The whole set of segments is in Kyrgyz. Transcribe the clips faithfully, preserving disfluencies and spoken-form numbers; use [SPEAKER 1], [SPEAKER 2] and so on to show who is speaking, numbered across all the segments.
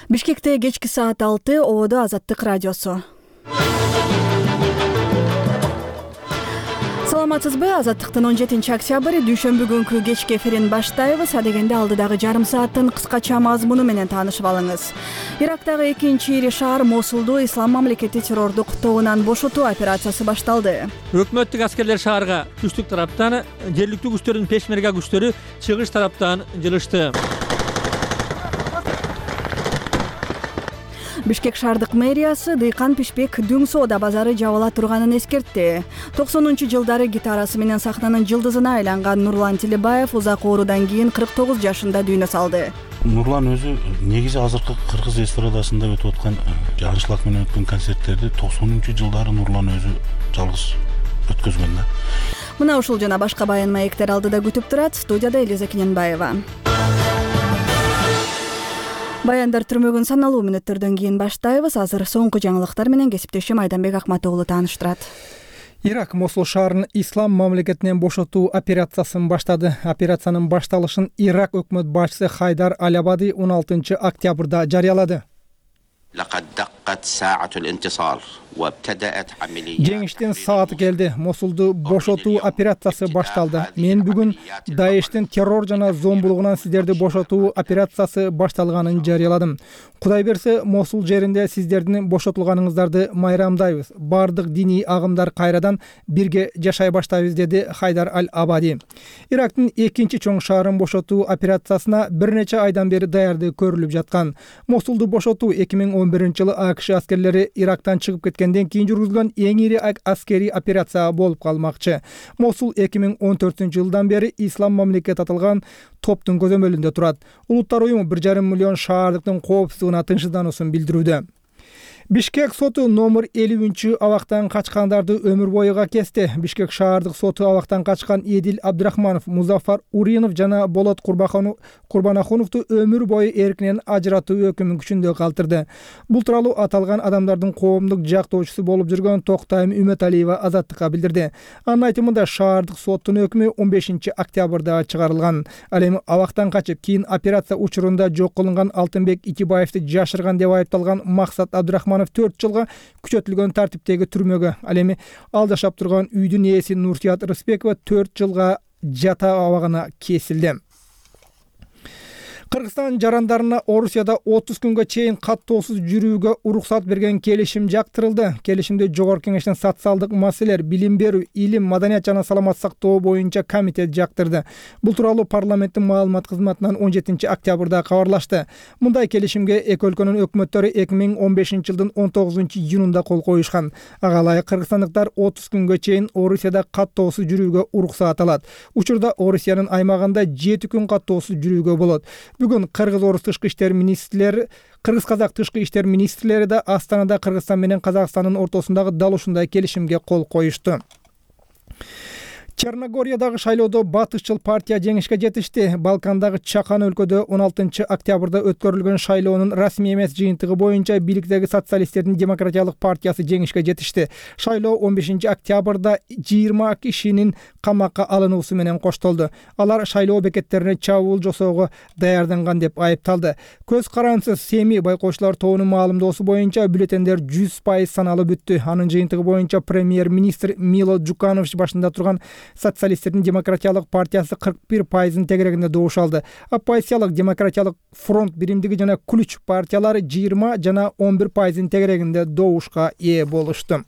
[SPEAKER 1] Бишкекте кечки саат алты, ободо Азаттык радиосу. Саламатсызбы? Азаттыктын он жетинчи октябрь дүйшөмбү күнкү кечки эфирин баштайбыз. Адегенде алдыдагы жарым сааттын кыскача мазмуну менен таанышып алыңыз. Ирактагы экинчи ири шаар Мосулду Ислам мамлекети террордук тобунан бошотуу операциясы башталды.
[SPEAKER 2] Өкмөттүк аскерлер шаарга түштүк тараптан, жергиликтүү күчтөрдүн пешмерга күчтөрү чыгыш тараптан жылышты.
[SPEAKER 1] Бишкек шаардык мэриясы Дыйкан Пишпек Дүң соода базары жабыла турганын эскертти. токсонунчу жылдары гитарасы менен сахнанын жылдызына айланган Нурлан Тилебаев узак оорудан кийин кырк тогуз жашында дүйнө салды.
[SPEAKER 3] Нурлан өзү негизи азыркы кыргыз эстрадасында өтүп аткан Жанышлак менен өткөн концерттерди токсонунчу жылдары Нурлан өзү жалгыз өткөзгөн да.
[SPEAKER 1] Мына ушул жана башка баян маектер алдыда күтүп турат. Студияда Элиза Кененбаева. Баяндар түрмөгүн саналуу мүнөттөрдөн кийин баштайбыз. Азыр соңку жаңылыктар менен кесиптешим Айданбек Акматоğlu тааныштырат.
[SPEAKER 4] Ирак Мосул шаарын Ислам мамлекетинен бошотуу операциясын баштады. Операциянын башталышын Ирак өкмөт башчысы Хайдар Аль-Абади он алтынчы октябрда жарыялады. Жеңиштин сааты келди. Мосулду бошотуу операциясы башталды. Мен бүгүн Даештин террор жана зомбулугунан сиздерди бошотуу операциясы башталганын жарыяладым. Кудай берсе, Мосул жеринде сиздердин бошотулганыңыздарды майрамдайбыз. Бардык диний агымдар кайрадан бирге жашай баштайбыз, деди Хайдар Аль-Абади. Ирактын экинчи чоң шаарын бошотуу операциясына бир нече айдан бери даярдык көрүлүп жаткан. Мосулду бошотуу эки миң он биринчи жылы АКШ аскерлери Ирактан чыгып кеткенден кийин жүргүзүлгөн эң ири аскерий операция болуп калмакчы. Мосул эки миң он төртүнчү жылдан бери Ислам мамлекети аталган топтун көзөмөлүндө турат. Улуттар уюму бир жарым миллион шаардыктын коопсуздугуна тынчсыздануусун билдирүүдө. Бишкек соту номер элүүнчү абактан качкандарды өмүр боюга кести. Бишкек шаардык соту абактан качкан Эдил Абдрахманов, Музафар Уринов жана Болот Курбанахуновду өмүр бою эркинен ажыратуу өкүмүн күчүндө калтырды. Бул тууралуу аталган адамдардын коомдук жактоочусу болуп жүргөн Токтайым Үмөталиева Азаттыкка билдирди. Анын айтымында шаардык соттун өкүмү он бешинчи октябрда чыгарылган. Ал эми абактан качып, кийин операция учурунда жок кылынган Алтынбек Итибаевди жашырган деп айыпталган Максат Абдрахманов төрт жылга күчөтүлгөн тартиптеги түрмөгө, ал эми ал жашап турган үйдүн ээси Нурсият Рыспекова төрт жылга жата абагына кесилди. Кыргызстан жарандарына Орусияда отуз күнгө чейин каттоосуз жүрүүгө уруксат берген келишим жактырылды. Келишимди Жогорку Кеңештин социалдык маселелер, билим берүү, илим, маданият жана саламат сактоо боюнча комитет жактырды. Бул тууралуу парламенттин маалымат кызматынан он жетинчи октябрда кабарлашты. Мындай келишимге эки өлкөнүн өкмөттөрү эки миң он бешинчи жылдын он тогузунчу июнунда кол коюшкан. Ага ылайык кыргызстандыктар отуз күнгө чейин Орусияда каттоосуз жүрүүгө уруксат алат. Учурда Орусиянын аймагында жети күн каттоосуз жүрүүгө болот. Бүгүн Кыргыз-Орус тышкы иштер министрлери, Кыргыз-Казак тышкы иштер министрлери да Астанада Кыргызстан менен Казакстандын ортосундагы дал ушундай келишимге кол коюшту. Черногориядагы шайлоодо батышчыл партия жеңишке жетишти. Балкандагы чакан өлкөдө он алтынчы октябрда өткөрүлгөн шайлоонун расмий эмес жыйынтыгы боюнча бийликтеги социалисттердин демократиялык партиясы жеңишке жетишти. Шайлоо он бешинчи октябрда жыйырма кишинин камакка алынуусу менен коштолду. Алар шайлоо бекеттерине чабуул жасоого даярданган деп айыпталды. Көз карансыз Семи байкоочулар тобунун маалымдоосу боюнча бюллетендер жүз пайыз саналып бүттү. Анын жыйынтыгы боюнча премьер-министр Мило Джуканович башында турган социалисттердин демократиялык партиясы кырк бир пайыздын тегерегинде добуш алды. Оппозициялык демократиялык фронт биримдиги жана Ключ партиялары жыйырма жана он бир пайыздын тегерегинде добушка ээ болушту.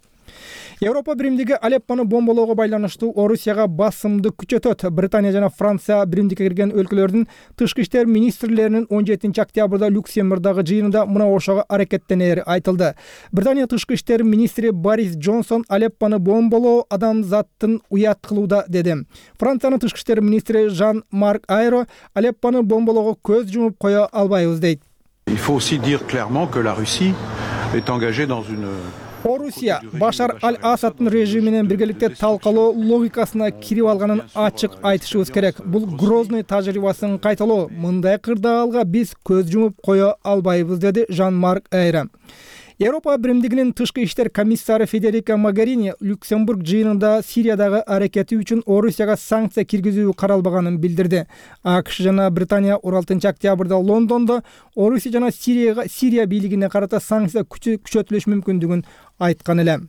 [SPEAKER 4] Европа биримдиги Алеппону бомболоого байланыштуу Орусияга басымды күчөтөт. Британия жана Франция биримдикке кирген өлкөлөрдүн тышкы иштер министрлеринин он жетинчи октябрда Люксембургдагы жыйынында мына ошого аракеттенери айтылды. Британия тышкы иштер министри Борис Джонсон Алеппону бомболоо адамзаттын уят кылууда деди. Франциянын тышкы иштер министри Жан-Марк Айро Алеппону бомболоого көз жумуп кое албайбыз дейт.
[SPEAKER 5] Il faut aussi dire clairement que la Russie est engagée dans une
[SPEAKER 4] Орусия Башар Аль-Асадтын режими менен биргеликте талкалоо логикасына кирип алганын ачык айтышыбыз керек. Бул Грозный тажрыйбасын кайталоо. Мындай кырдаалга биз көз жумуп кое албайбыз, деди Жан-Марк Айро. Европа биримдигинин тышкы иштер комиссары Федерика Могерини Люксембург жыйынында Сириядагы аракети үчүн Орусияга санкция киргизүү каралбаганын билдирди. АКШ жана Британия он алтынчы октябрда Лондондо Орусия жана Сирияга Сирия бийлигине карата санкция күчөтүлүш мүмкүндүгүн айткан эле.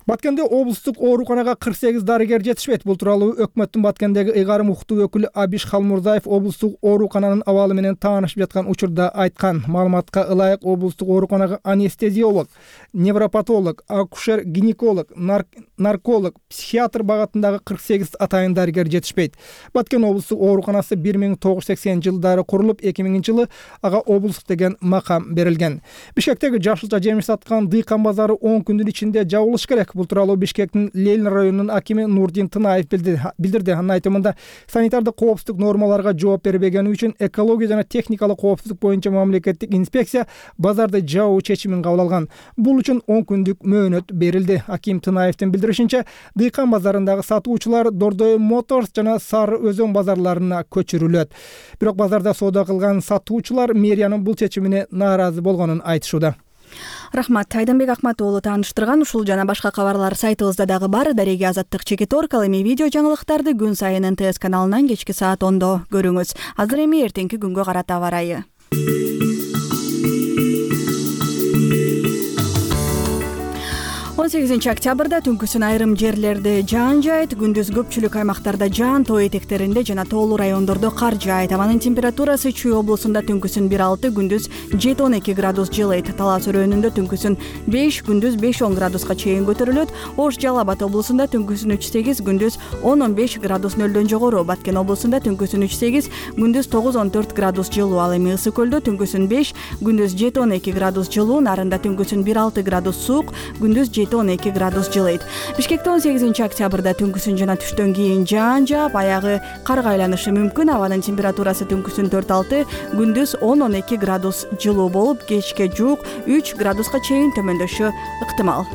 [SPEAKER 4] Баткенде облустук ооруканага кырк сегиз дарыгер жетишпейт. Бул тууралуу өкмөттүн Баткендеги ыйгарым укуктуу өкүлү Абиш Халмурзаев облустук оорукананын абалы менен таанышып жаткан учурда айткан. Маалыматка ылайык облустук ооруканага анестезиолог, невропатолог, акушер-гинеколог, нарколог, психиатр багытындагы кырк сегиз атайын дарыгер жетишпейт. Баткен облустук ооруканасы бир миң тогуз жүз сексен жылдары курулуп, эки миңинчи жылы ага облустук деген макам берилген. Бишкектеги жашылча жемиш саткан дыйкан базары он күндүн ичинде жабылыш керек. Бул тууралуу Бишкектин Лелин районунун акими Нурдин Тынаев билдирди. Анын айтымында санитардык коопсуздук нормаларга жооп бербегени үчүн экология жана техникалык коопсуздук боюнча мамлекеттик инспекция базарды жабуу чечимин кабыл алган. Бул үчүн он күндүк мөөнөт берилди. Аким Тынаевдин билдиришинче, дыйкан базарындагы сатуучулар Дордой Моторс жана Сары Өзөн базарларына көчүрүлөт. Бирок базарда соода кылган сатуучулар мэриянын бул чечимине нааразы болгонун айтышууда.
[SPEAKER 1] Рахмат. Айданбек Акмат уулу тааныштырган ушул жана башка кабарлар сайтыбызда дагы бар. Дареги Азаттык Чекиторг. Ал эми видео жаңылыктарды күн сайын эн тэ эс каналынан кечки саат ондо көрүңүз. Азыр эми эртеңки күнгө карата аба ырайы. он сегизинчи октябрда түнкүсүн айрым жерлерде жаан жаайт, күндүз көпчүлүк аймактарда жаан, тоо этектеринде жана тоолуу райондордо кар жаайт. Абанын температурасы Чүй облусунда түнкүсүн бир алты, күндүз жети он эки градус жылыйт. Талас өрөөнүндө түнкүсүн беш, күндүз беш он градуска чейин көтөрүлөт. Ош Жалал Абад облусунда түнкүсүн үч сегиз, күндүз он он беш градус нөлдөн жогору. Баткен облусунда түнкүсүн үч сегиз, күндүз тогуз он төрт градус жылуу. Ал эми Ысык көлдө түнкүсүн беш, күндүз жети он эки градус жылуу. Нарында түнкүсүн бир алты градус суук, күндүз жети он эки градус жылыйт. Бишкекте он сегизинчи октябрда түнкүсүн жана түштөн кийин жаан жаап, аягы карга айланышы мүмкүн. Абанын температурасы түнкүсүн төрт алты, күндүз он он эки градус жылуу болуп, кечке жуук үч градуска чейин төмөндөшү ыктымал.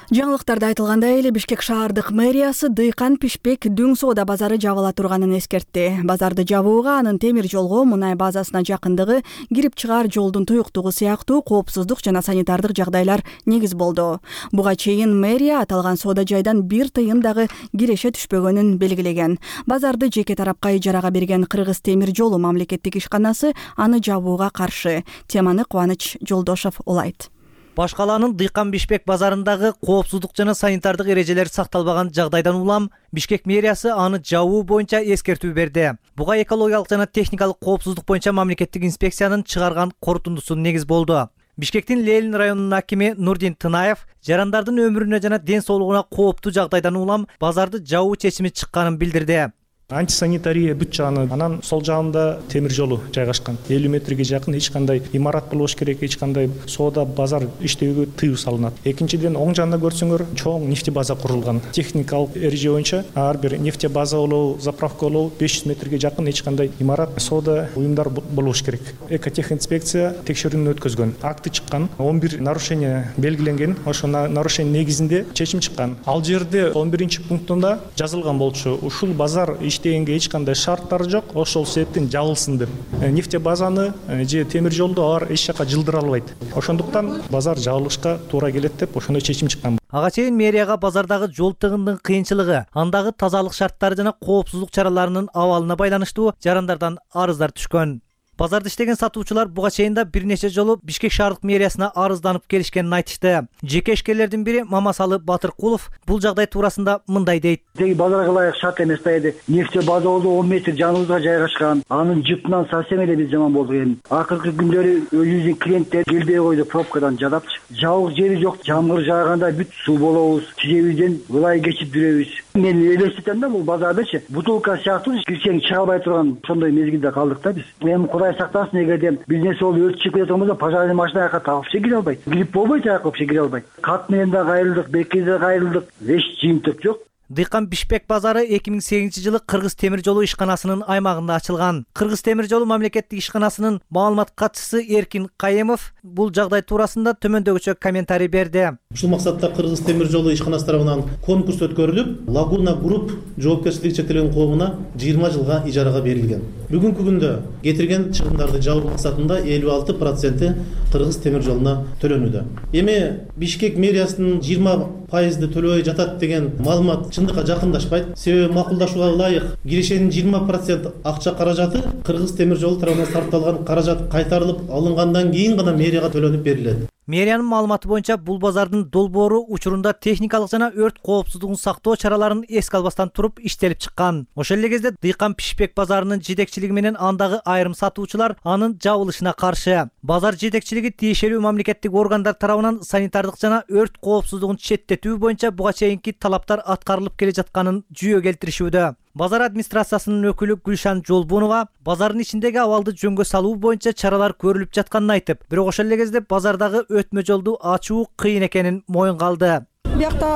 [SPEAKER 1] Жаңылыктарда айтылгандай эле Бишкек шаардык мэриясы дыйкан пишпек дүң соода базары жабыла турганын эскертти. Базарды жабууга анын темир жолго, мунай базасына жакындыгы, кирип чыгаар жолдун туюктугу сыяктуу коопсуздук жана санитардык жагдайлар негиз болду. Буга чейин мэрия аталган соода жайдан бир тыйын дагы киреше түшпөгөнүн белгилеген. Базарды жеке тарапка ижарага берген Кыргыз темир жолу мамлекеттик ишканасы аны жабууга каршы. Теманы Кубаныч Жолдошов улайт.
[SPEAKER 6] Башкаланын Дыйкан Бишпек базарындагы коопсуздук жана санитардык эрежелер сакталбаган жагдайдан улам Бишкек мэриясы аны жабуу боюнча эскертүү берди. Буга экологиялык жана техникалык коопсуздук боюнча мамлекеттик инспекциянын чыгарган корутундусу негиз болду. Бишкектин Лелин районунун акими Нурдин Тынаев жарандардын өмүрүнө жана ден соолугуна кооптуу жагдайдан улам базарды жабуу чечими чыкканын билдирди.
[SPEAKER 7] Антисанитария бүт жагы, анан сол жагында темир жолу жайгашкан. элүү метрге жакын эч кандай имарат болбош керек, эч кандай соода базар иштөөгө тыюу салынат. Экинчиден, оң жагында көрсөңөр, чоң нефти база курулган. Техникалык эреже боюнча ар бир нефти база болобу, заправка болобу беш жүз метрге жакын эч кандай имарат, соода уюмдар болбош керек. Экотехинспекция текшерүүнү өткөзгөн. Акты чыккан, он бир нарушение белгиленген. Ошол нарушение негизинде чечим чыккан. Ал жерде он биринчи пунктунда жазылган болчу. Ушул базар иштегенге эч кандай шарттары жок, ошол себептен жабылсын деп. Нефти базаны же темир жолду алар эч жака жылдыра албайт. Ошондуктан базар жабылышка туура келет деп ошондой чечим чыккан.
[SPEAKER 6] Ага чейин мэрияга базардагы жол тыгындын кыйынчылыгы, андагы тазалык шарттары жана коопсуздук чараларынын абалына байланыштуу жарандардан арыздар түшкөн. Базарда иштеген сатуучулар буга чейин да бир нече жолу Бишкек шаардык мэриясына арызданып келишкенин айтышты. Жеке ишкерлердин бири Мамасалы Батыркулов бул жагдай туурасында мындай дейт.
[SPEAKER 8] Деги базарга ылайык шарт эмес да эди. Нефти база болду, он метр жаныбызга жайгашкан. Анын жыпынан совсем эле биз жаман болдук эми. Акыркы күндөрү өзүбүздүн клиенттер келбей койду, пробкадан жадапчы. Жабык жери жок, жамгыр жааганда бүт суу болобуз. Тижебизден ылай кечип жүрөбүз. Мен элестетем да бул базардачы бутылка сыяктуу кирсең чыга албай турган ошондой мезгилде калдык да биз. Эми Кудай сактасын, эгерде бизнес болуп өрт чыгып кеткен болсо пожарный машина аяка вообще кире албайт. Грипп болбойт, аяка вообще кире албайт. Кат менен да кайрылдык, бекке да кайрылдык, эч жыйынтык жок.
[SPEAKER 6] Дыйкан Бишкек базары эки миң сегизинчи жылы Кыргыз темир жолу ишканасынын аймагында ачылган. Кыргыз темир жолу мамлекеттик ишканасынын маалымат катчысы Эркин Кайемов бул жагдай туурасында төмөндөгүчө комментарий берди.
[SPEAKER 9] Ушул максатта Кыргыз темир жолу ишканасы тарабынан конкурс өткөрүлүп, Лагуна Групп жоопкерчилиги чектелген коомуна жыйырма жылга ижарага берилген. Бүгүнкү күндө кетирген чыгымдарды жабуу максатында элүү алты проценти Кыргыз темир жолуна төлөнүүдө. Эми Бишкек мэриясынын жыйырма пайызды төлөбөй жатат деген маалымат чындыкка жакындашпайт. Себеби макулдашууга ылайык кирешенин жыйырма процент акча каражаты Кыргыз темир жолу тарабынан сарпталган каражат кайтарылып алынгандан кийин гана мэрияга төлөнүп берилет.
[SPEAKER 6] Мэриянын маалыматы боюнча бул базардын долбоору учурунда техникалык жана өрт коопсуздугун сактоо чараларын эске албастан туруп иштелип чыккан. Ошол эле кезде Дыйкан Бишкек базарынын жетекчилиги менен андагы айрым сатуучулар анын жабылышына каршы. Базар жетекчилиги тиешелүү мамлекеттик органдар тарабынан санитардык жана өрт коопсуздугун четтетүү боюнча буга чейинки талаптар аткарылып келе жатканын жүйө келтиришүүдө. Базар администрациясынын өкүлү Гүлшан Жолбунова базардын ичиндеги абалды жөнгө салуу боюнча чаралар көрүлүп жатканын айтып, бирок ошол эле кезде базардагы өтмө жолду ачуу кыйын экенин моюнга алды.
[SPEAKER 10] Биякта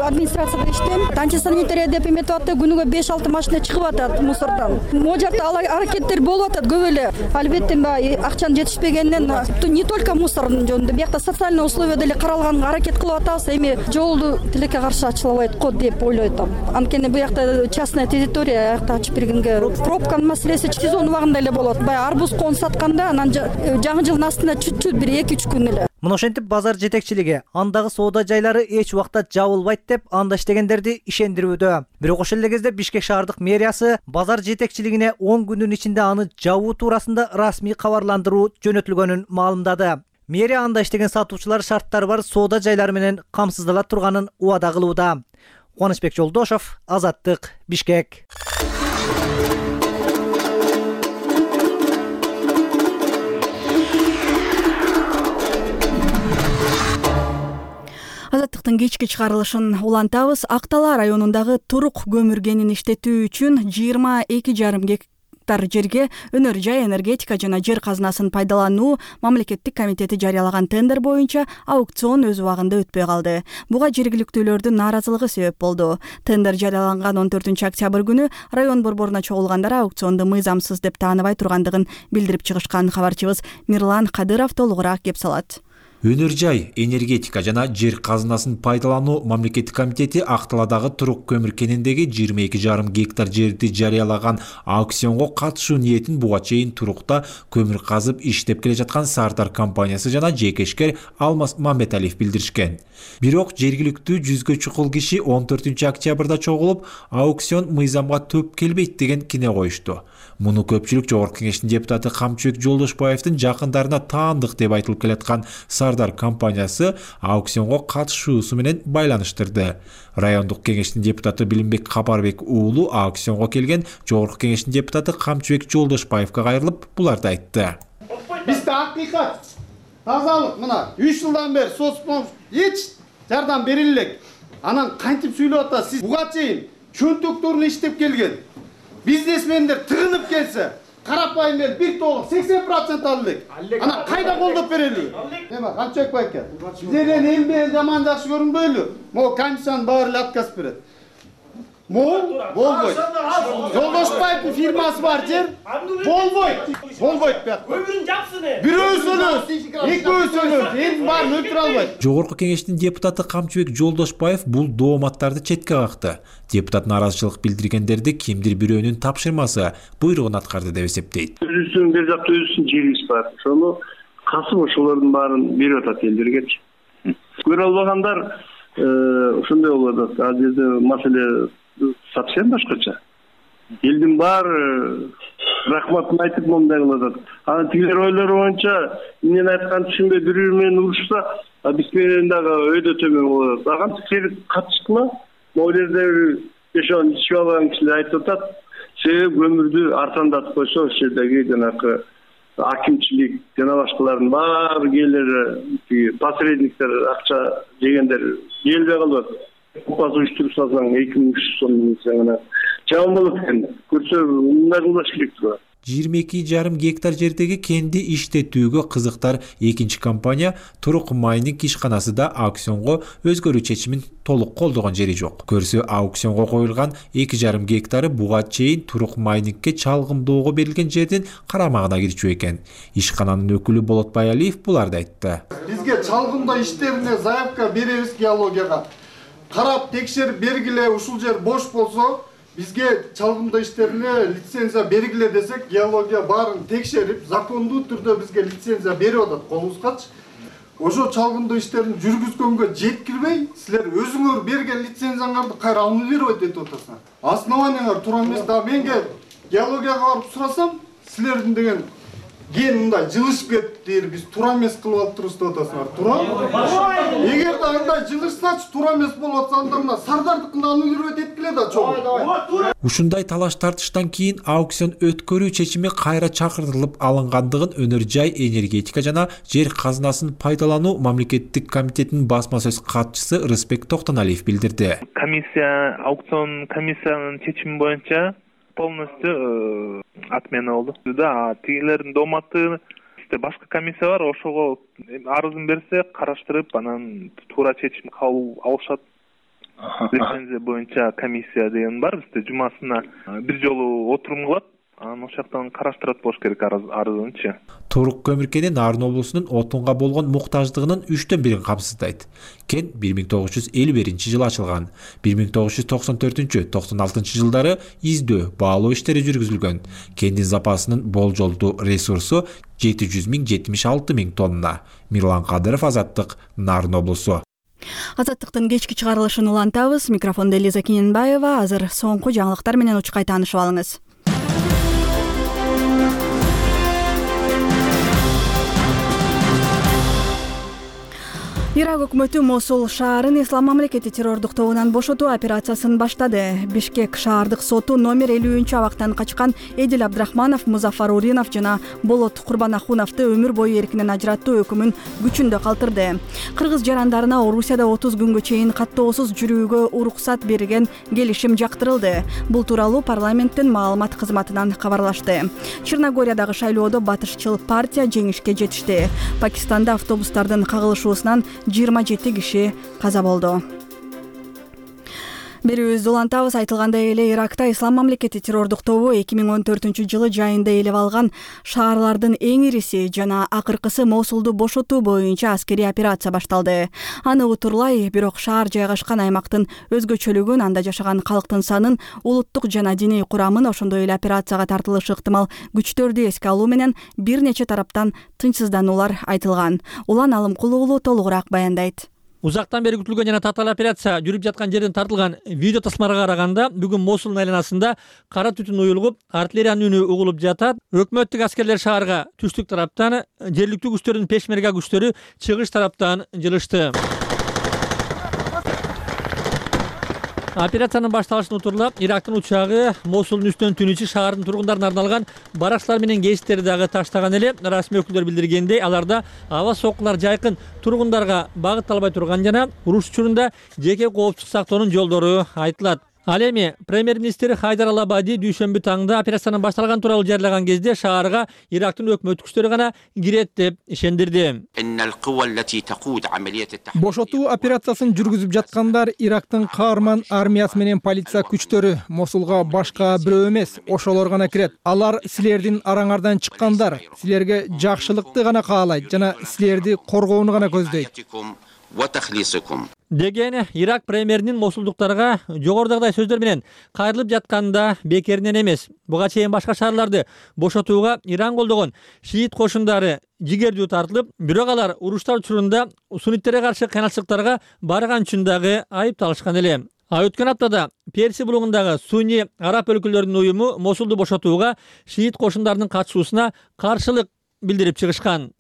[SPEAKER 10] администрацияда иштейм. Антисанитария деп эметип атты. Күнүгө беш алты машина чыгып атат мусордон. Могу жакта аракеттер болуп атат көп эле. Албетте баягы акчанын жетишпегенинен не только мусордун жөнүндө, биякта социальный условия деле каралганга аракет кылып атабыз. Эми жолду тилекке каршы ачылбайт го деп ойлойт. Анткени биякта частная территория, аякта ачып бергенге пробканын маселеси сезон убагында эле болот. Баягы арбуз коон сатканда анан жаңы жылдын астында чуть-чуть бир эки үч күн эле.
[SPEAKER 6] Мына ошентип базар жетекчилиги андагы соода жайлары эч убакта жабылбайт деп анда иштегендерди ишендирүүдө. Бирок ошол эле кезде Бишкек шаардык мэриясы базар жетекчилигине он күндүн ичинде аны жабуу туурасында расмий кабарландыруу жөнөтүлгөнүн маалымдады. Мэрия анда иштеген сатуучулар шарттары бар соода жайлары менен камсыздала турганын убада кылууда. Кубанычбек Жолдошов, Азаттык, Бишкек.
[SPEAKER 1] Азаттыктын кечки чыгарылышын улантабыз. Актала районундагы турук көмүр кенин иштетүү үчүн жыйырма эки жарым гектар жерге өнөр жай энергетика жана жер казынасын пайдалануу мамлекеттик комитети жарыялаган тендер боюнча аукцион өз убагында өтпөй калды. Буга жергиликтүүлөрдүн нааразылыгы себеп болду. Тендер жарыяланган он төртүнчү октябрь күнү район борборуна чогулгандар аукционду мыйзамсыз деп тааныбай тургандыгын билдирип чыгышкан. Кабарчыбыз Мирлан Кадыров толугураак кеп салат.
[SPEAKER 11] Өнөр жай энергетика жана жер казынасын пайдалануу мамлекеттик комитети Акталадагы турук көмүр кениндеги жыйырма эки жарым гектар жерди жарыялаган аукционго катышуу ниетин буга чейин турукта көмүр казып иштеп келе жаткан Сардар компаниясы жана жекешкер Алмаз Мамбеталиев билдиришкен. Бирок жергиликтүү жүзгө чукул киши он төртүнчү октябрда чогулуп, аукцион мыйзамга төп келбейт деген кине коюшту. Муну көпчүлүк Жогорку Кеңештин депутаты Камчыбек Жолдошбаевдин жакындарына таандык деп айтылып келаткан Сардар компаниясы аукционго катышуусу менен байланыштырды. Райондук кеңештин депутаты Билимбек Капарбек уулу аукционго келген Жогорку Кеңештин депутаты Камчыбек Жолдошбаевга кайрылып, буларды айтты.
[SPEAKER 12] Бизде акыйкат, тазалык мына үч жылдан бери соцпом эч жардам бериле элек. Анан кантип сүйлөп атасыз? Сиз буга чейин чөнтөктөрүн иштеп келген бизнесмендер тыгынып келсе, карапайым эл бир толук сексен процент алды. Ана кайда колдоп берели? Эме Камчыбек байке. Биздерден эл менен жаман жакшы көрүнбөйлү. Могу комиссиянын баары эле отказ берет. Могу болбойт. Жолдошбаевдин фирмасы бар жер болбойт. Болбойт бияк. Көмүрүн жапсын. Бирөөс өлөс, экөөс өлөс, эл баарын өлтүрө албайт.
[SPEAKER 11] Жогорку Кеңештин депутаты Камчыбек Жолдошбаев бул дооматтарды четке какты. Депутат нааразычылык билдиргендерди кимдир бирөөнүн тапшырмасы буйругун аткарды деп эсептейт.
[SPEAKER 13] Өзүнүн бир жакта өзүнүн жерибиз бар. Ошону касып ошолордун баарын берип атат элдергечи. Көрө албагандар ошондой болуп атат. Ал жерде маселе совсем башкача. Элдин баары рахматын айтып мондай кылып атат. Анан тигилер ойлору боюнча мен айткан түшүнбөй бирөө менен урушса, биз менен дагы өйдө төмөн болот. Аган керек катышкыла. Могу жерде ошон ичип алган кишилер айтып атат. Себеби көмүрдү арзандатып койсо, ошол жердеги жанагы акимчилик жана башкалардын баары келери посредниктер акча жегендер келбей калып атат. Купасы уюштуруп салсаң эки миң үч жүз сом жаман болот экен. Көрсө мындай кылбаш керек турат.
[SPEAKER 11] жыйырма эки жарым гектар жердеги кенди иштетүүгө кызыктар экинчи компания Турук майнинг ишканасы да аукционго өзгөрүү чечимин толук колдогон жери жок. Көрсө аукционго коюлган эки жарым гектары буга чейин Турук майнингке чалгымдоого берилген жердин карамагына кирчү экен. Ишкананын өкүлү Болот Баялиев буларды айтты.
[SPEAKER 12] Бизге чалгымдоо иштерине заявка беребиз геологияга. Карап текшерип бергиле, ушул жер бош болсо, бизге чалгымдоо иштерине лицензия бергиле десек, геология баарын текшерип, закондуу түрдө бизге лицензия берип атат колубузгачы. Ошо чалгымдоо иштерин жүргүзгөнгө жеткирбей, силер өзүңөр берген лицензияңарды кайра аннулировать этип атасыңар. Основанияңар туура эмес. Да менге геологияга барып сурасам, силердин деген ген мындай жылышып кетти, биз туура эмес кылып алыптырбыз деп атасыңар. Туура? Эгерде андай жылышсачы туура эмес болуп атса, анда мына Сардардыкын аннулировать эткиле да чогуу.
[SPEAKER 11] Ушундай талаш тартыштан кийин аукцион өткөрүү чечими кайра чакыртылып алынгандыгын Өнөр жай энергетика жана жер казынасын пайдалануу мамлекеттик комитетинин басма сөз катчысы Рысбек Токтоналиев билдирди.
[SPEAKER 14] Комиссия, аукцион комиссиянын чечими боюнча полностью отмена болду. Да, тигилердин доматы башка комиссия бар, ошого арызын берсе караштырып, анан туура чечим кабыл алышат. Лицензия боюнча комиссия деген бар, бизде жумасына бир жолу отурум кылат. Анан ошол жактан караштырат болуш керек арызынчы.
[SPEAKER 11] Турук көмүркени Нарын облусунун отунга болгон муктаждыгынын үчтөн бирин камсыздайт. Кен бир миң тогуз жүз элүү биринчи жылы ачылган. бир миң тогуз жүз токсон төртүнчү — токсон алтынчы жылдары издөө, баалоо иштери жүргүзүлгөн. Кендин запасынын болжолдуу ресурсу жети жүз миң — жетимиш алты миң тонна. Мирлан Кадыров, Азаттык, Нарын облусу.
[SPEAKER 1] Азаттыктын кечки чыгарылышын улантабыз. Микрофондо Элиза Киненбаева. Азыр соңку жаңылыктар менен учкай таанышып алыңыз. Ирак өкмөтү Мосул шаарын Ислам мамлекети террордук тобунан бошотуу операциясын баштады. Бишкек шаардык соту номер элүүнчү абактан качкан Эдил Абдрахманов, Музафар Уринов жана Болот Курбанахуновду өмүр бою эркинен ажыраттуу өкүмүн күчүндө калтырды. Кыргыз жарандарына Орусияда отуз күнгө чейин каттоосуз жүрүүгө уруксат берген келишим жактырылды. Бул тууралуу парламенттин маалымат кызматынан кабарлашты. Черногориядагы шайлоодо батышчыл партия жеңишке жетишти. Пакистанда автобустардын кагылышуусунан жыйырма жети киши каза болду. Берүүбүздү улантабыз. Айтылгандай эле Иракта Ислам мамлекети террордук тобу эки миң он төртүнчү жылы жайында ээлеп алган шаарлардын эң ириси жана акыркысы Мосулду бошотуу боюнча аскерий операция башталды. Аны утурлай, бирок шаар жайгашкан аймактын өзгөчөлүгүн, анда жашаган калктын санын, улуттук жана диний курамын, ошондой эле операцияга тартылышы ыктымал күчтөрдү эске алуу менен бир нече тараптан тынчсыздануулар айтылган. Улан Алымкул уулу толугураак баяндайт.
[SPEAKER 2] Узактан бери күтүлгөн жана татаал операция жүрүп жаткан жерден тартылган видео тасмаларга караганда бүгүн Мосулдун айланасында кара түтүн уюлуп, артиллериянын үнү угулуп жатат. Өкмөттүк аскерлер шаарга түштүк тараптан, жергиликтүү күчтөрдүн пешмерга күчтөрү чыгыш тараптан жылышты. Операциянын башталышын утурлап, Ирактын учагы Мосулдун үстүнөн түнүчү шаардын тургундарына арналган баракчалар менен кесиптерди дагы таштаган эле. Расмий өкүлдөр билдиргендей, аларда аба соккулар жайкын тургундарга багытталбай турган жана уруш учурунда жеке коопсуздук сактоонун жолдору айтылат. Ал эми премьер-министр Хайдар Ал-Абади дүйшөмбү таңда операциянын башталган тууралуу жарыялаган кезде шаарга Ирактын өкмөт күчтөрү гана кирет деп ишендирди.
[SPEAKER 4] Бошотуу операциясын жүргүзүп жаткандар Ирактын каарман армиясы менен полиция күчтөрү. Мосулга башка бирөө эмес, ошолор гана кирет. Алар силердин араңардан чыккандар, силерге жакшылыкты гана каалайт жана силерди коргоону гана көздөйт
[SPEAKER 2] деген Ирак премьеринин мосулдуктарга жогорудагыдай сөздөр менен кайрылып жатканда бекеринен эмес. Буга чейин башка шаарларды бошотууга Иран колдогон шиит кошундары жигердүү тартылып, бирок алар уруштар учурунда сунниттерге каршы кыйналчылыктарга барган үчүн дагы айыпталышкан эле. А өткөн аптада Перси булугундагы сунни араб өлкөлөрүнүн уюму Мосулду бошотууга шиит кошундарынын катышуусуна каршылык билдирип чыгышкан.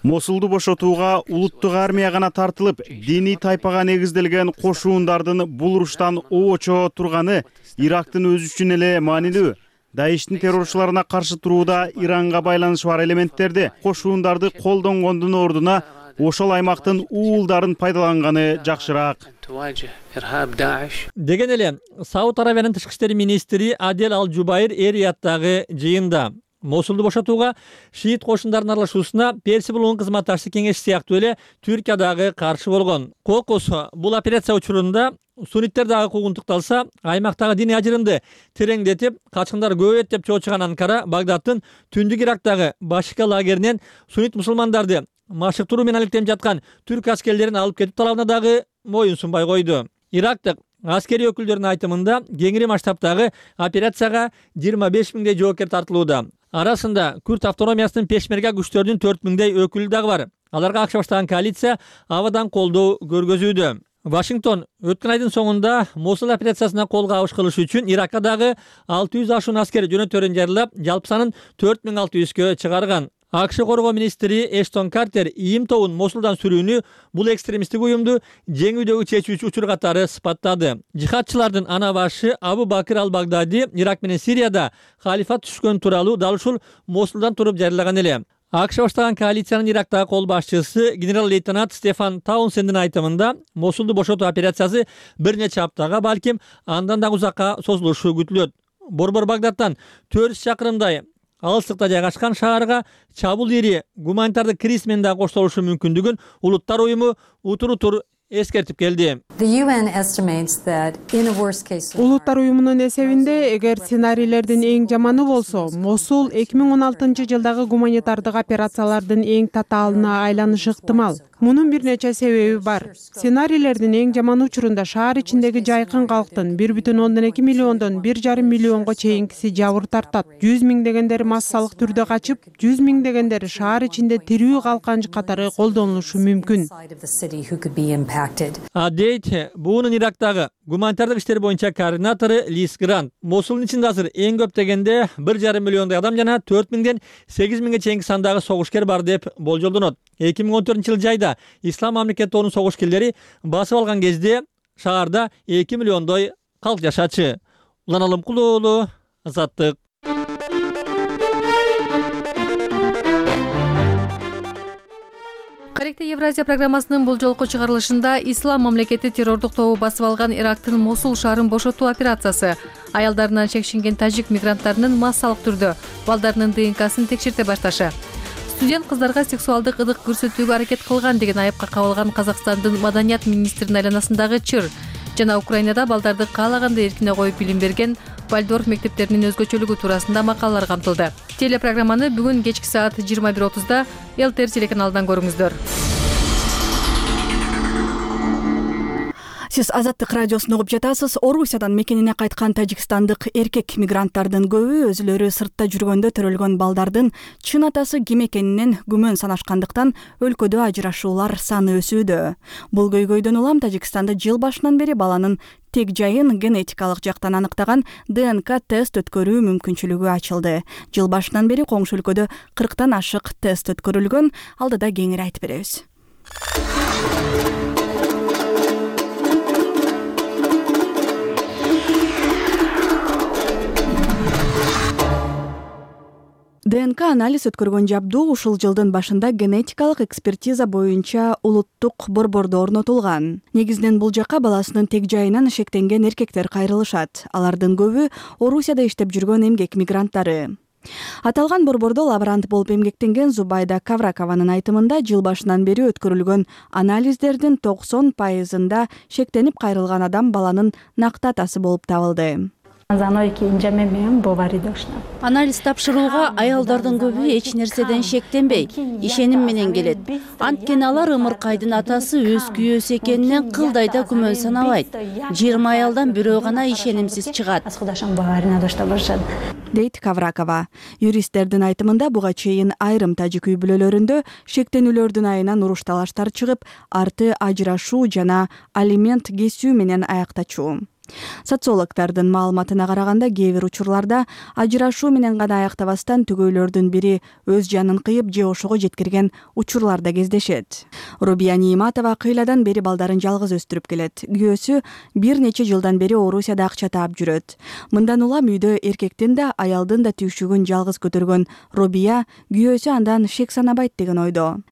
[SPEAKER 15] Мосулду бошотууга улуттук армия гана тартылып, диний тайпага негизделген кошуундардын бул уруштан оочо турганы Ирактын өзү үчүн эле маанилүү. Даиштин террорчуларына каршы турууда Иранга байланышы бар элементтерди, кошуундарды колдонгондун ордуна ошол аймактын уулдарын пайдаланганы жакшыраак
[SPEAKER 2] деген эле Сауд Аравиянын тышкы иштер министри Адел Ал-Жубайр эр-Рияттагы жыйында Мосулду бошотууга шиит кошундардын аралашуусуна Перси булугунун кызматташчы кеңеши сыяктуу эле Түркия дагы каршы болгон. Кокус бул операция учурунда сунниттер дагы куугунтукталса, аймактагы диний ажырымды тереңдетип, качкындар көбөйөт деп чоочуган Анкара Багдадтын түндүк Ирактагы Башика лагеринен суннит мусулмандарды машыктыруу менен алектенип жаткан түрк аскерлерин алып кетүү талабына дагы моюн сунбай койду. Ирактык аскерий өкүлдөрүнүн айтымында кеңири масштабтагы операцияга жыйырма беш миңдей жоокер тартылууда. Арасында Күрд автономиясынын пешмерга күчтөрүнүн төрт миңдей өкүлү дагы бар. Аларга акча баштаган коалиция абадан колдоо көргөзүүдө. Вашингтон өткөн айдын соңунда Мосул операциясына кол кабыш кылыш үчүн Иракка дагы алты жүз ашуун аскер жөнөтөрүн жарыялап, жалпы санын төрт миң алты жүзгө чыгарган. АКШ коргоо министри Эштон Картер ийим тобун Мосулдан сүрүүнү бул экстремисттик уюмду жеңүүдөгү чечүүчү учур катары сыпаттады. Жихадчылардын ана башы Абу Бакыр Ал-Багдади Ирак менен Сирияда халифат түшкөн тууралуу дал ушул Мосулдан туруп жарыялаган эле. АКШ баштаган коалициянын Ирактагы кол башчысы генерал-лейтенант Стефан Таунсендин айтымында Мосулду бошотуу операциясы бир нече аптага, балким андан да узакка созулушу күтүлөт. Борбор Багдадтан төрт жүз чакырымдай алыстыкта жайгашкан шаарга чабуул ири гуманитардык криз менен да коштолушу мүмкүндүгүн Улуттар уюму утур-утур эскертип келди.
[SPEAKER 16] Улуттар уюмунун эсебинде, эгер сценарийлердин эң жаманы болсо, Мосул эки миң он алтынчы жылдагы гуманитардык операциялардын эң татаалына айланышы ыктымал. Мунун бир нече себеби бар. Сценарийлердин эң жаман учурунда шаар ичиндеги жайкын калктын бир бүтүн ондон эки миллиондон бир жарым миллионго чейинкиси жабыр тартат. жүз миңдегендери массалык түрдө качып, жүз миңдегендери шаар ичинде тирүү калкан катары колдонулушу мүмкүн.
[SPEAKER 2] Адейт буунун Ирактагы гуманитардык иштер боюнча координатору Лис Грант. Мосулдун ичинде азыр эң көп дегенде бир жарым миллиондой адам жана төрт миңден сегиз миңге чейинки сандагы согушкер бар деп болжолдонот. эки миң он төртүнчү жылы жайда Ислам мамлекетинин согушкерлери басып алган кезде шаарда эки миллиондой калк жашачы. Улан Алымкулуу уулу, Азаттык.
[SPEAKER 17] Каректе Евразия программасынын бул жолку чыгарылышында Ислам мамлекети террордук тобу басып алган Ирактын Мосул шаарын бошотуу операциясы, аялдарынан чекшинген тажик мигранттарынын массалык түрдө балдарынын ДНКсын текшерте башташы, студент кыздарга сексуалдык ыдык көрсөтүүгө аракет кылган деген айыпка кабылган Казакстандын маданият министринин айланасындагы чыр жана Украинада балдарды каалагандай эркине коюп билим берген Вальдорф мектептеринин өзгөчөлүгү туурасында макалалар камтылды. Телепрограмманы бүгүн кечки саат жыйырма бир отузда ЛТР телеканалынан көрүңүздөр.
[SPEAKER 1] Сиз Азаттык радиосун угуп жатасыз. Орусиядан мекенине кайткан тажикстандык эркек мигранттардын көбү өзүлөрү сыртта жүргөндө төрөлгөн балдардын чын атасы ким экенинен күмөн санашкандыктан өлкөдө ажырашуулар саны өсүүдө. Бул көйгөйдөн улам Тажикстанда жыл башынан бери баланын тек жайын генетикалык жактан аныктаган ДНК тест өткөрүү мүмкүнчүлүгү ачылды. Жыл башынан бери коңшу өлкөдө кырктан ашык тест өткөрүлгөн. Алдыда кеңири айтып беребиз. ДНК анализ өткөргөн жабдуу ушул жылдын башында генетикалык экспертиза боюнча улуттук борбордо орнотулган. Негизинен бул жака баласынын тег жайынан шектенген эркектер кайрылышат. Алардын көбү Орусияда иштеп жүргөн эмгек мигранттары. Аталган борбордо лаборант болуп эмгектенген Зубайда Кавракованын айтымында жыл башынан бери өткөрүлгөн анализдердин токсон пайызында шектенип кайрылган адам баланын накты атасы болуп табылды.
[SPEAKER 18] Анализ тапшырууга аялдардын көбү эч нерседен шектенбей, ишеним менен келет. Анткени алар ымыркайдын атасы өз күйөөсү экенинен кылдай да күмөн санабайт. жыйырма аялдан бирөө гана ишенимсиз чыгат,
[SPEAKER 1] дейт Кавракова. Юристтердин айтымында буга чейин айрым тажик үй бүлөлөрүндө шектенүүлөрдүн айынан уруш талаштар чыгып, арты ажырашуу жана алимент кесүү менен аяктачу. Социологдордун маалыматына караганда кээ бир учурларда ажырашуу менен гана аяктабастан түгөйлөрдүн бири өз жанын кыйып же ошого жеткирген учурлар да кездешет. Рубия Ниматова кыйладан бери балдарын жалгыз өстүрүп келет. Күйөөсү бир нече жылдан бери Орусияда акча таап жүрөт. Мындан улам үйдө эркектин да аялдын да түйшүгүн жалгыз көтөргөн Рубия күйөөсү андан шек санабайт деген ойдо.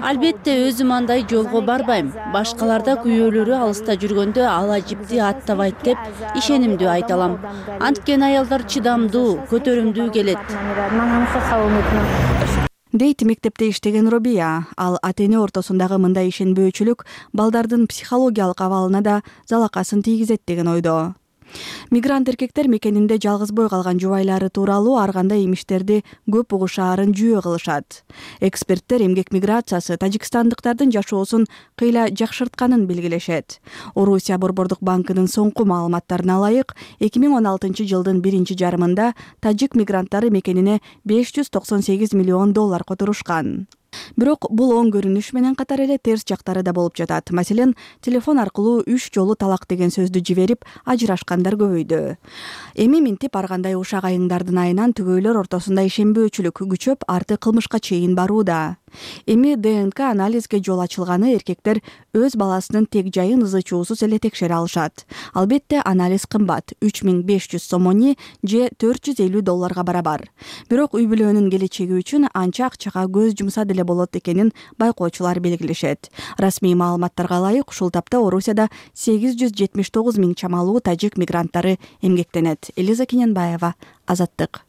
[SPEAKER 18] Албетте өзүм андай жолго барбайм. Башкаларда күйөөлөрү алыста жүргөндө ал ажипти аттабайт деп ишенимдүү айта алам. Анткени аялдар чыдамдуу, көтөрүмдүү келет.
[SPEAKER 1] Дейт мектепте иштеген Рубия. Ал ата-эне ортосундагы мындай ишенбөөчүлүк балдардын психологиялык абалына да залакасын тийгизет деген ойдо. Мигрант эркектер мекенинде жалгызбой калган жубайлары тууралуу ар кандай имиштерди көп угушаарын жүйө кылышат. Эксперттер эмгек миграциясы тажикстандыктардын жашоосун кыйла жакшыртканын белгилешет. Орусия Борбордук банкынын соңку маалыматтарына ылайык, эки миң он алтынчы жылдын биринчи жарымында тажик мигранттары мекенине беш жүз токсон сегиз миллион доллар которушкан. Бирок бул оң көрүнүш менен катар эле терс жактары да болуп жатат. Маселен, телефон аркылуу үч жолу талак деген сөздү жиберип, ажырашкандар көбөйдү. Эми минтип ар кандай ушак айыңдардын айынан түгөйлөр ортосунда ишенбөөчүлүк күчөп, арты кылмышка чейин барууда. Эми Д Н К анализге жол ачылганы эркектер өз баласынын тег жайын ызы-чуусуз эле текшере алышат. Албетте анализ кымбат, үч миң беш жүз сомони же төрт жүз элүү долларга барабар. Бирок үй бүлөнүн келечеги үчүн анча акчага көз жумса деле болот экенин байкоочулар белгилешет. Расмий маалыматтарга ылайык, ушул тапта Орусияда сегиз жүз жетимиш тогуз миң чамалуу тажик мигранттары эмгектенет. Элиза Кененбаева, Азаттык.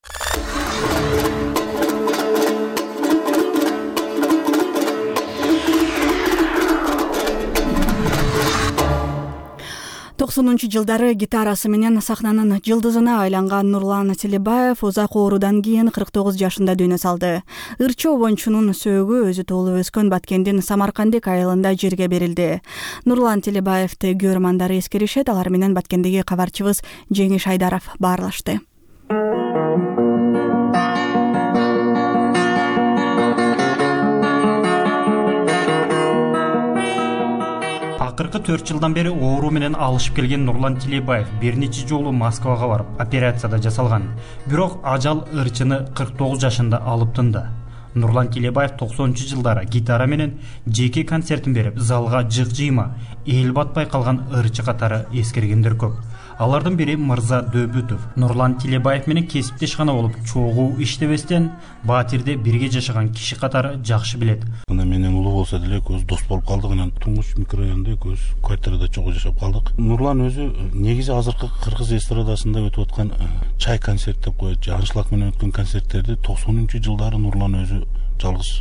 [SPEAKER 1] токсонунчу жылдары гитарасы менен сахнанын жылдызына айланган Нурлан Тилебаев узак оорудан кийин кырк тогуз жашында дүйнө салды. Ырчы обончунун сөөгү өзү толуп өскөн Баткендин Самаркандик айылында жерге берилди. Нурлан Тилебаевти көрөрмандары эскеришет, алар менен Баткендеги кабарчыбыз Жеңиш Айдаров баарлашты.
[SPEAKER 19] Акыркы төрт жылдан бери оору менен алышып келген Нурлан Тилебаев бир нече жолу Москвага барып операцияда жасалган. Бирок ажал ырчыны кырк тогуз жашында алып тынды. Нурлан Тилебаев токсонунчу жылдары гитара менен жеке концертин берип, залга жык-жыйма, эл батпай калган ырчы катары эскергендер көп. Алардын бири Мырза Дөбүтов. Нурлан Тилебаев менен кесиптеш гана болуп, чогуу иштебестен Батирде бирге жашаган киши катары жакшы билет.
[SPEAKER 3] Мына менен улуу болсо деле көз дос болуп калдык, анан Туңгуч микрорайонунда көз квартирада чогуу жашап калдык. Нурлан өзү негизи азыркы кыргыз эстрадасында өтүп аткан чай концерт деп коет, же аншлаг менен өткөн концерттерди токсонунчу жылдары Нурлан өзү жалгыз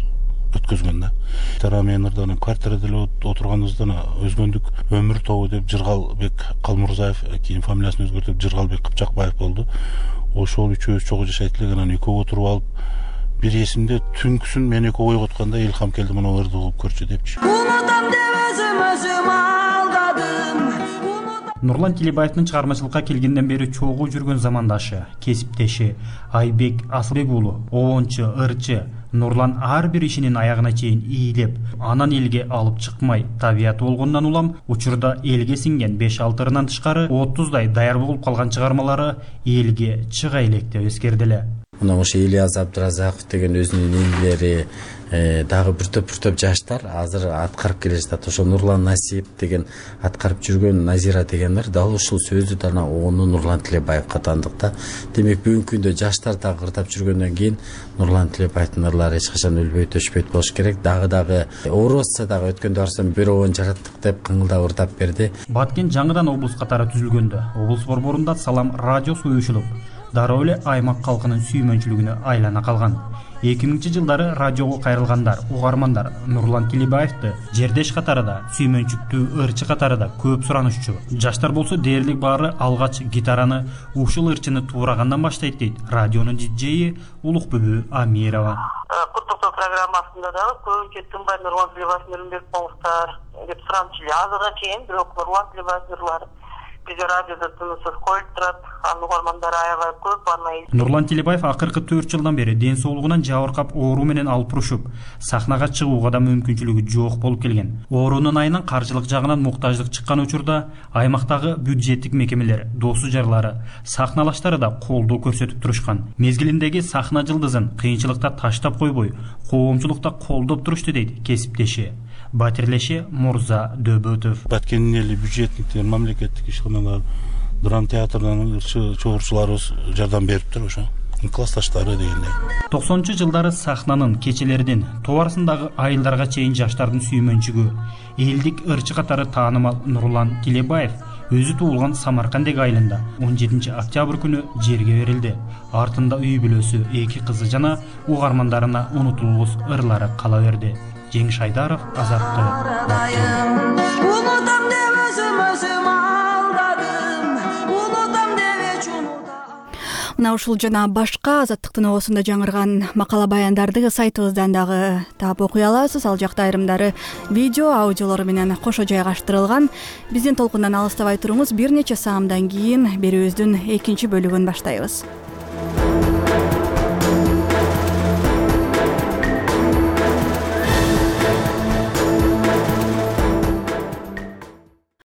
[SPEAKER 3] өткөзгөн да. Гитара менен ырдан квартирада эле отурганыбызда өзгөндүк өмүр тобу деп Жыргалбек Калмурзаев, кийин фамилиясын өзгөртүп Жыргалбек Кыпчакбаев болду. Ошол үчөөбүз чогуу жашайт элек, анан экөө отуруп алып, бир эсимде түнкүсүн мен экөө ойготканда Илхам келди, мына ырды кылып көрчү депчи.
[SPEAKER 20] Унутам деп өзүм өзүм алдадым.
[SPEAKER 19] Нурлан Тилебаевдин чыгармачылыкка келгенден бери чогуу жүргөн замандашы, кесиптеши Айбек Асылбек уулу, обончу, ырчы Нурлан ар бир ишинин аягына чейин ийилеп, анан элге алып чыкмай, табияты болгондон улам учурда элге сиңген беш алты ырынан тышкары отуздай даяр болуп калган чыгармалары элге чыга элек деп эскердиле.
[SPEAKER 21] Мына ошо Ильяс Абдыразаков деген өзүнүн инилери, дагы бир топ бир топ жаштар азыр аткарып келе жатат. Ошо Нурлан Насип деген аткарып жүргөн, Назира дегендер дал ушул сөздү да ону Нурлан Тилебаевга тандык да. Демек бүгүнкү күндө жаштар дагы кырдап жүргөндөн кийин Нурлан Тилебаевдин ырлары эч качан өлбөйт, өчпөйт болуш керек. Дагы дагы оорусса дагы өткөндө барсам бир обон жараттык деп кыңылдап ырдап берди.
[SPEAKER 19] Баткен жаңыдан облус катары түзүлгөндө облус борборунда Салам радиосу уюшулуп, дароо эле аймак калкынын сүймөнчүлүгүнө айлана калган. эки миңинчи жылдары радиого кайрылгандар, угармандар Нурлан Тилебаевди жердеш катарында, сүймөнчүктүү ырчы катарында көп суранышчу. Жаштар болсо дээрлик баары алгач гитараны ушул ырчыны туурагандан баштайт дейт радионун диджеи Улукбүбү Амирова.
[SPEAKER 22] Куттуктоо программасында дагы көбүнчө тынбай Нурлан Тилебаевдин ырын берип коңуздар деп сурамчу эле. Азыркыга чейин бирок Нурлан Тилебаевдин ырлары биз радиодо тынысыз коюлуп турат, анын угармандары аябай көп. Анан
[SPEAKER 19] Нурлан Тилебаев акыркы төрт жылдан бери ден соолугунан жабыркап оору менен алпурушуп, сахнага чыгууга да мүмкүнчүлүгү жок болуп келген. Оорунун айынан каржылык жагынан муктаждык чыккан учурда аймактагы бюджеттик мекемелер, досу жарлары, сахналаштары да колдоо көрсөтүп турушкан. Мезгилиндеги сахна жылдызын кыйынчылыкта таштап койбой, коомчулукта колдоп турушту дейт кесиптеши. Батирлеши Мурза Дөбөтов.
[SPEAKER 3] Баткендин эли бюджетниктер, мамлекеттик ишканалар, драма театрынын чогурчуларыбыз жардам бериптир ошо. Классташтары дегендей.
[SPEAKER 19] токсонунчу жылдары сахнанын кечелердин товарсындагы айылдарга чейин жаштардын сүймөнчүгү, элдик ырчы катары таанымал Нурлан Тилебаев өзү туулган Самаркандек айылында он жетинчи октябрь күнү жерге берилди. Артында үй бүлөсү, эки кызы жана угармандарына унутулгус ырлары кала берди. Жеңиш Айдаров, Азаттык.
[SPEAKER 20] Унутам деп өзүм өзүм алдадым, унутам деп
[SPEAKER 1] Мына ушул жана башка Азаттыктын оосунда жаңырган макала баяндарды сайтыбыздан дагы таап окуй аласыз. Ал жакта айрымдары видео, аудиолору менен кошо жайгаштырылган. Биздин толкундан алыстабай туруңуз. Бир нече саамдан кийин берүүбүздүн экинчи бөлүгүн баштайбыз.